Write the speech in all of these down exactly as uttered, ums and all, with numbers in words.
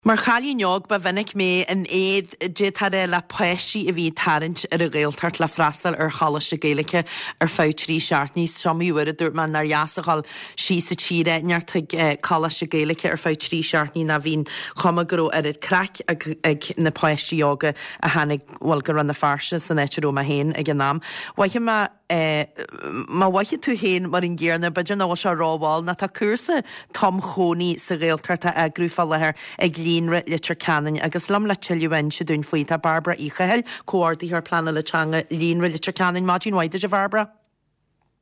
Mar chailín óg ba mhinic mé in éad détaré le páistí a bhí ag tarraingt ar an Ghaeltacht le freastal ar choláiste Gaeilge ar feadh trí seachtainí. Is iomaí uair a dúirt mé nár dheas a dhul síos sa tír neart chuig coláiste Gaeilge ar feadh trí seachtainí ná bhí an chuma go raibh oiread craic ag, ag na páistí óga a tháinig bhuel go Rann na Feirste san áit a raibh mé féin ag an am. Mhaithe má eh, má mhaithe tú féin mar an gcéanna b'fhéidir nach bhfuil sé rómhall ná tá cúrsa tumchónaí sa Ghaeltacht á eagrú fá láthair ag Líonra Leitir Ceanainn agus liom le tuilleadh a inse dúinn faoi tá Barbara Uí Chathail, comhordaitheoir pleanála teanga Líonra Leitir Ceanainn Maidin mhaith duit a Bharbara.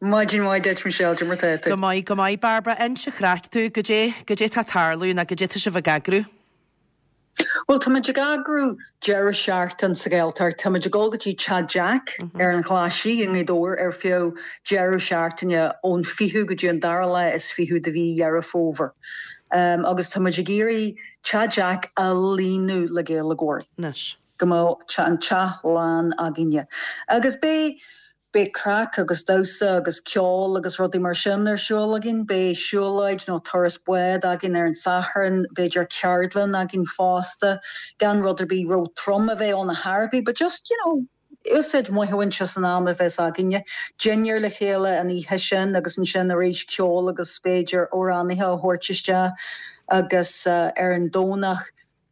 Maidin mhaith duit Michelle mar tá Go maith go maith Barbara inis an chraic dúinn goidé goidé tá ag tarlú ná goidé tá sibh ag eagrú. Well tá ag eagrú deireadh seachtaine sa Ghaeltacht Tá ag dul go dtí Teach Jack ar an Ghlaisigh i nGaoth Dobhair ar feadh deireadh seachtaine ón fichiú go dtí an dara lá is fiche de mhí Dheireadh Fómhair. Um, agus tá ag iarraidh Teach Jack a líonadh le Gaeilgeoirí. Anois. Go mbeidh an teach lán againne. Agus beidh Beidh craic agus damhsa agus ceol agus rudaí mar sin ar siúl againn, beidh siúlóid nó turas báid againn ar an Satharn, b'fhéidir ceardlann againn fosta, gan rud ar bith ró-trom a bheith ann ar bith, but just you know, úsáid maith a bhaint as an am a bheas againne. Dinnéar le chéile an oíche sin agus ansin arís ceol agus b'fhéidir amhránaithe a thabhairt isteach agus uh, ar an Domhnach.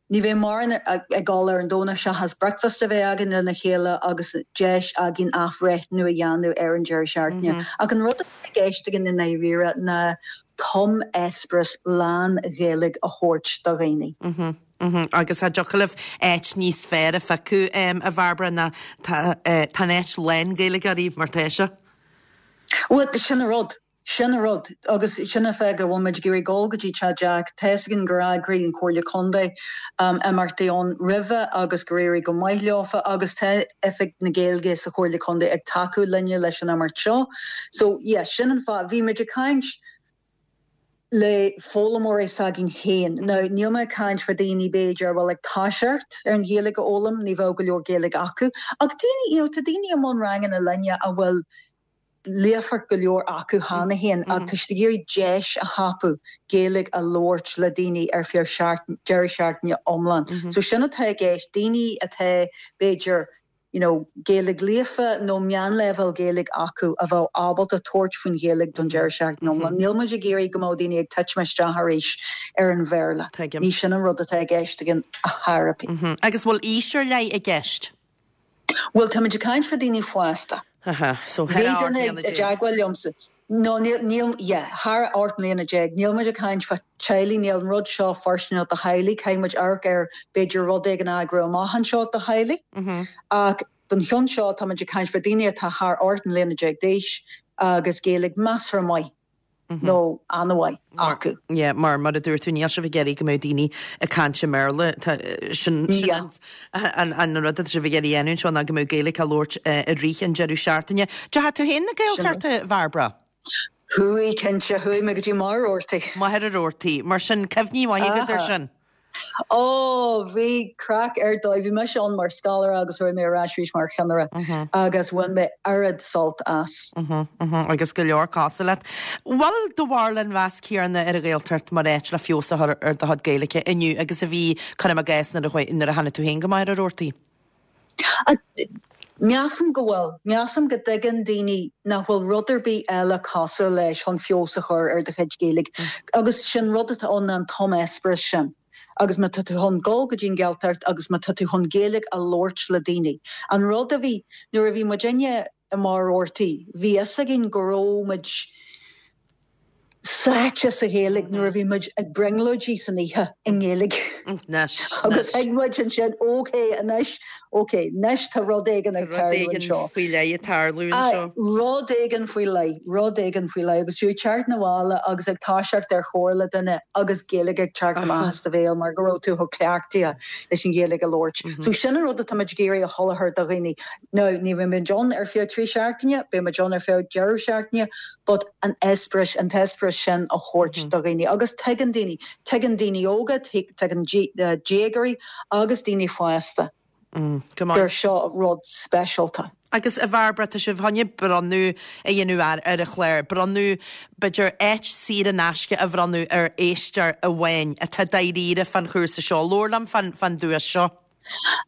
Ní bheidh mórán ag dul ar an Domhnach seachas breakfast a bheith againn lena chéile agus deis againn athbhreithniú a dhéanamh ar an deireadh seachtaine. Mm -hmm. Ach an rud i gceist againn i ndáiríre ná tum-eispéireas lán-Ghaeilge a thabhairt do dhaoine. Mm -hmm. Mm -hmm. Agus tá deocair áit níos fearr a phiocadh um, a Bharbara ná tá áit lán Gaeilgeoirí mar tá sé. Well sin an rud. Sin an rud agus sin an fáth go bhfuil muid ag dul go dtí Teach Jack tá a fhios againn gur eagraigh an Chomhairle Contae um, imeachtaí ann roimhe agus gur éirigh go maith leofa agus tá Oifig na Gaeilge sa Chomhairle Contae ag tacú linne leis an imeacht seo. So yeah, sin an fáth bhí muid ag caint le foghlaimeoirí s'againn féin. Now níl mé caint fá daoine b'fhéidir bhfuil ag toiseacht ar an Ghaeilge a fhoghlaim, ní bheadh go leor Gaeilge acu. Ach daoine you know, tá daoine i mbun ranganna linne a bhfuil líofacht go leor acu cheana féin ach tá siad ag iarraidh deis a thapú Gaeilge a labhairt le daoine ar feadh deireadh seachtaine iomlán. Mm -hmm. So sin atá i gceist daoine atá b'fhéidir you know, Gaeilge líofa nó meánleibhéal Gaeilge acu a bheith ábalta tabhairt faoin Ghaeilge don deireadh seachtaine iomlán. Mm -hmm. Níl muid ag iarraidh go mbeadh daoine ag titim isteach arís ar an Bhéarla. Ní sin an rud atá i gceist againn a therapy. Mm -hmm. Agus bhfuil aois ar leith i gceist? Well tá muid ag caint fá daoine fásta. so i dteagmháil liomsa. No níl thar ocht mbliana déag, níl muid ag caint fá teaghlaigh níl an rud seo fóirsteanach do theaghlaigh, caithfidh muid amharc ar b'fhéidir rud éigin a eagrú amach anseo do theaghlaigh. Ach don cheann seo tá muid ag caint fá daoine atá thar ocht mbliana déag d'aois agus Gaeilge measartha maith. nó an-mhaith acu. Yeah, mar mar a dúirt tú níl sibh ag iarraidh go mbeadh daoine ag caint i mBéarla sin an an rud atá sibh ag iarraidh a dhéanamh anseo ná go mbeadh Gaeilge á labhairt i rith an deireadh seachtaine. Deacha tú féin na Gaeltachta Bharbara? Chuaigh cinnte chuaigh mé go dtí Machaire Rabhartaigh. Machaire Rabhartaigh, mar sin cuimhní mhaithe agat air sin. Ó bhí craic ar dóigh bhí mise ann mar scoláire agus raibh mé ar ais arís mar cheannaire agus bhain mé oiread sult as. agus go leor cosúil leat. Bhfuil do bharúil an mheas céanna ar an Ghaeltacht mar áit le feabhas a chur ar do chuid Gaeilge inniu agus a bhí cuirim i gcás nuair a tháinig tú féin go Machaire Rabhartaigh. Measaim go bhfuil, measaim go dtuigeann daoine nach bhfuil rud ar bith eile cosúil leis chun feabhas a chur ar do chuid Gaeilge. Agus sin rud atá ann an tum-eispéireas sin. agus má tá tú chun dul go dtí an Ghaeltacht agus má tá tú chun Gaeilge a labhairt le daoine. An rud a bhí nuair a bhí muidinne i Machaire Rabhartaigh, bhí fhios againn go raibh muid sáite sa Ghaeilge nuair a bhí muid ag brionglóidí san oíche i nGaeilge. Agus thuig muid ansin ok anois ok anois tá rud éigin ag tarlú anseo. faoi leith ag tarlú anseo. Rud éigin faoi leith, rud éigin faoi leith agus tú ag teacht na bhaile agus ag toiseacht ar chomhrá le duine agus Gaeilge ag teacht amach as do bhéal mar go raibh tú chomh cleachtaithe leis an Ghaeilge a labhairt. So sin an rud atá muid ag iarraidh a sholáthar do dhaoine. Now ní bheidh muid ann ar feadh trí seachtaine, beidh muid ann ar feadh deireadh seachtaine, but an eispéireas an t-eispéireas sin a thabhairt do dhaoine agus tuigeann daoine, tuigeann daoine óga, tuigeann déagóirí agus daoine fásta. Gur seo rud speisialta. Agus a Bhairbre tá sibh chun bronnadh a dhéanamh ar ar an chlár, bronnadh b'fhéidir áit saor in aisce a bhronnadh ar éisteoir amháin atá dáiríre fán chúrsa seo, labhair liom fán fán duais seo.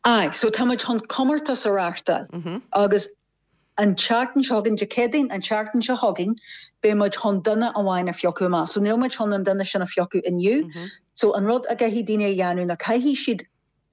Aye, so tá muid chun comórtas a reáchtáil agus an tseachtain seo chugainn Dé Céadaoin an tseachtain seo chugainn beidh muid chun duine amháin a phiocadh amach. So níl muid chun an duine sin a phiocadh inniu. So an rud a gcaithfidh daoine a dhéanamh ná caithfidh siad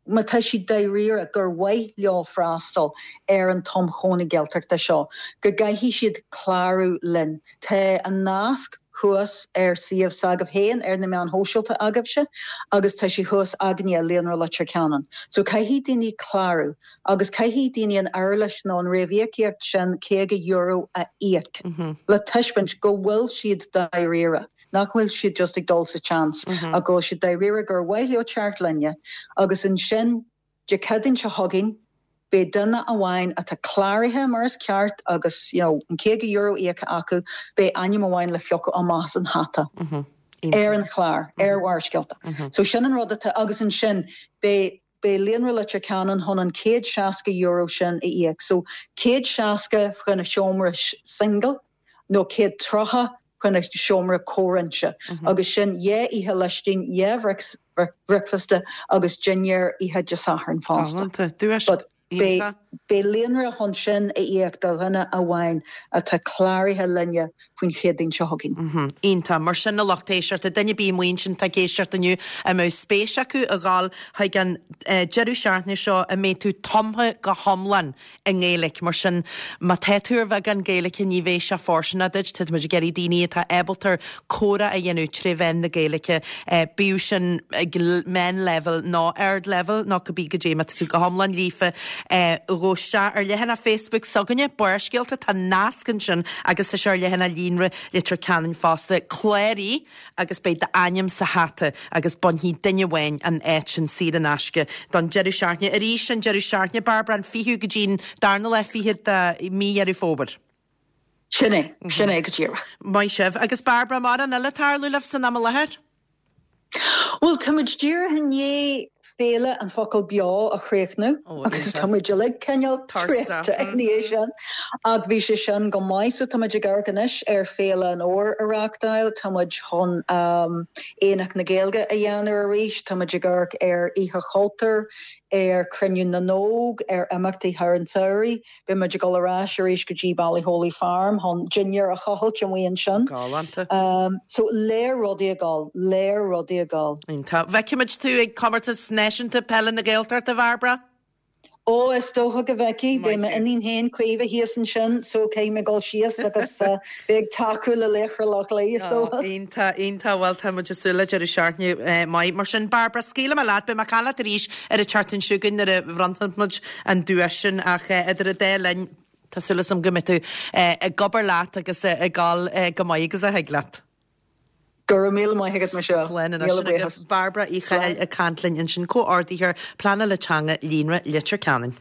má tá siad dáiríre gur mhaith leo freastal ar an tumchónaí Gaeltachta seo, go gcaithfidh siad clárú linn. Tá an nasc thuas ar suíomh s'agaibh féin ar na meáin shóisialta agaibhse agus tá sé thuas againne Líonra Leitir Ceanainn. So caithfidh daoine clárú agus caithfidh daoine an éarlais nó an réamhíocaíocht sin caoga euro a íoc le taispeáint go bhfuil siad dáiríre. Nach bhfuil siad just ag dul sa tseans ach go bhfuil siad dáiríre gur mhaith leo teacht linne agus ansin Dé Céadaoin seo chugainn beidh duine amháin atá cláraithe mar is ceart agus you know, an caoga euro íoctha acu, beidh ainm amháin le phiocadh amach as an hata. Ar an chlár, ar Bharrscéalta. So sin an rud atá agus ansin beidh beidh Líonra Leitir Ceanainn chun an céad seasca euro sin a íoc. So céad seasca chun a seomra single nó céad tríocha chun a seomra comhroinnte. Agus sin dhá oíche lóistín, dhá bhricfeasta agus dinnéar oíche Dé Sathairn fosta. Duais But beidh beidh Líonra chun sin a íoc do dhuine amháin atá cláraithe linne faoin Chéadaoin seo chugainn. Iontach mar sin a lucht éisteachta duine ar bith amuigh ansin atá ag éisteacht inniu a mbeadh spéis acu a ghabháil chuig an deireadh seachtaine seo a mbeidh tú tumtha go hiomlán i nGaeilge mar sin má tá tú ar bheagán Gaeilge ní bheidh sé fóirsteanach duit tá muid ag iarraidh daoine atá ábalta comhrá a dhéanamh trí mheán na Gaeilge bíodh sin ag meánleibhéal nó ardleibhéal nó cibé goidé má tá tú go hiomlán líofa gabh isteach ar leathanach Facebook s'againne Barrscéalta tá nasc ansin agus tá sé ar leathanach Líonra Leitir Ceanainn fosta cláraigh agus beidh d'ainm sa hata agus bainfidh duine amháin an áit sin saor in aisce don deireadh seachtaine arís an deireadh seachtaine Barbara an fichiú go dtí an darna lá fichead de mí Dheireadh Fómhair. Sin é, sin é go díreach. Maith sibh agus Barbara mar an eile tarlú libh san am i láthair? Well tá muid díreach i ndiaidh féile an focal beo a chríochnú agus tá muid uilig cineál traochta ina dhiaidh sin ach bhí sé sin go maith so tá muid ag amharc anois ar féile an Fhómhair a reáchtáil, tá muid chun um, Aonach na Gaeilge a dhéanamh arís, tá muid ag amharc ar Oíche Chultúir, ar Chruinniú na nÓg, ar imeachtaí thar an tsamhraidh, Beidh muid ag dul ar ais arís go dtí Ballyholly Farm chun dinnéar a chaitheamh amuigh ansin. Galánta. Um, so lear rudaí ag dul, lear rudaí ag dul. Tá bhfeicfimid tú ag comórtas náisiúnta peile na Gaeltachta Barbara? Ó is dócha go bhfeicfidh, beidh m'iníon féin Caoimhe thíos ansin so caithfidh mé dul síos agus uh, beidh ag tacú le Laochra Loch Lao so. Iontach iontach bhuel tá muid ag súil le deireadh seachtaine maith mar sin Barbara scaoilfidh mé leat beidh mé ag caint leat arís ar an tseachtain seo chugainn nuair a bhronnann muid an duais sin ach idir an dá linn Tá súil agam go mbeidh tú ag obair leat agus ag dul go maith agus a thig leat. Go raibh míle maith agat Michelle. Slán agus Barbara Uí Chathail ag caint linn ansin comhordaitheoir pleanála teanga Líonra Leitir Ceanainn.